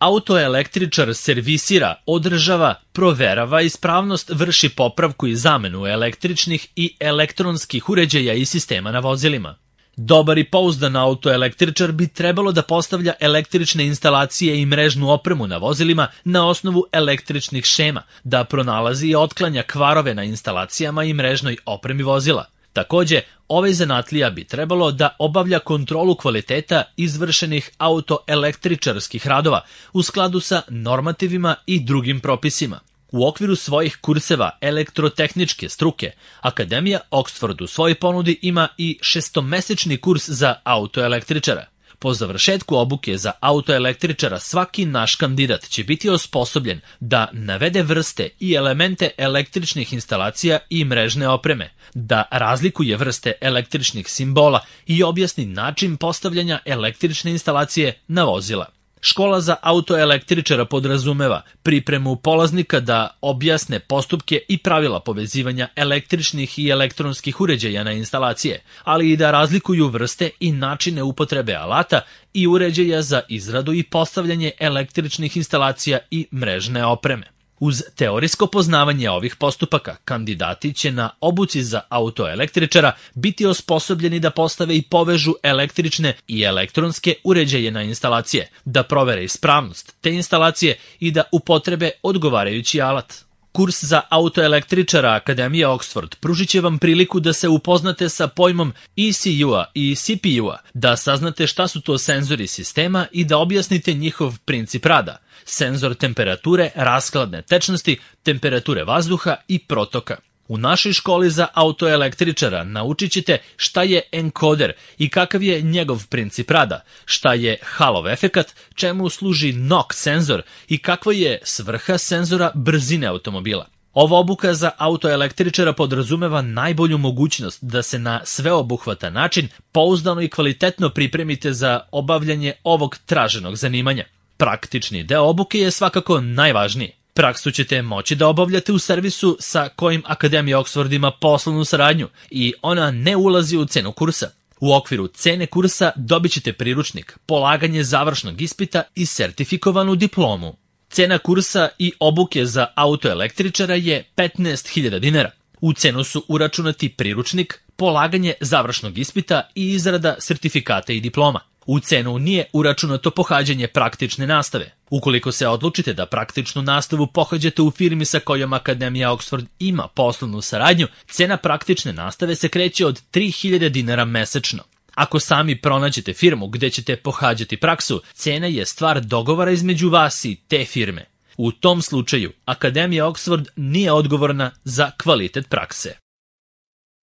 Autoelektričar servisira, održava, proverava ispravnost, vrši popravku i zamenu električnih i elektronskih uređaja i sistema na vozilima. Dobar i pouzdan autoelektričar bi trebalo da postavlja električne instalacije i mrežnu opremu na vozilima na osnovu električnih šema, da pronalazi i otklanja kvarove na instalacijama i mrežnoj opremi vozila. Takođe, ovaj zanatlija bi trebalo da obavlja kontrolu kvaliteta izvršenih autoelektričarskih radova u skladu sa normativima i drugim propisima. U okviru svojih kurseva elektrotehničke struke, Akademija Oxford u svojoj ponudi ima i 6-mesečni kurs za autoelektričara. Po završetku obuke za autoelektričara svaki naš kandidat će biti osposobljen da navede vrste i elemente električnih instalacija i mrežne opreme, da razlikuje vrste električnih simbola i objasni način postavljanja električne instalacije na vozila. Škola za autoelektričara podrazumeva pripremu polaznika da objasne postupke i pravila povezivanja električnih i elektronskih uređaja na instalacije, ali i da razlikuju vrste i načine upotrebe alata i uređaja za izradu i postavljanje električnih instalacija i mrežne opreme. Uz teorijsko poznavanje ovih postupaka, kandidati će na obuci za autoelektričara biti osposobljeni da postave i povežu električne i elektronske uređaje na instalacije, da provere ispravnost te instalacije i da upotrebe odgovarajući alat. Kurs za autoelektričara Akademije Oxford pružit će vam priliku da se upoznate sa pojmom ECU-a i CPU-a, da saznate šta su to senzori sistema i da objasnite njihov princip rada, senzor temperature, raskladne tečnosti, temperature vazduha i protoka. U našoj školi za autoelektričara naučit ćete šta je enkoder i kakav je njegov princip rada, šta je Hallov efekat, čemu služi NOx senzor i kakva je svrha senzora brzine automobila. Ova obuka za autoelektričara podrazumeva najbolju mogućnost da se na sveobuhvatan način pouzdano i kvalitetno pripremite za obavljanje ovog traženog zanimanja. Praktični deo obuke je svakako najvažniji. Praksu ćete moći da obavljate u servisu sa kojim Akademija Oxford ima poslovnu saradnju i ona ne ulazi u cenu kursa. U okviru cene kursa dobit ćete priručnik, polaganje završnog ispita i sertifikovanu diplomu. Cena kursa i obuke za autoelektričara je 15.000 dinara. U cenu su uračunati priručnik, polaganje završnog ispita i izrada sertifikata i diploma. U cenu nije uračunato pohađanje praktične nastave. Ukoliko se odlučite da praktičnu nastavu pohađate u firmi sa kojom Akademija Oxford ima poslovnu saradnju, cena praktične nastave se kreće od 3.000 dinara mesečno. Ako sami pronađete firmu gde ćete pohađati praksu, cena je stvar dogovora između vas i te firme. U tom slučaju, Akademija Oxford nije odgovorna za kvalitet prakse.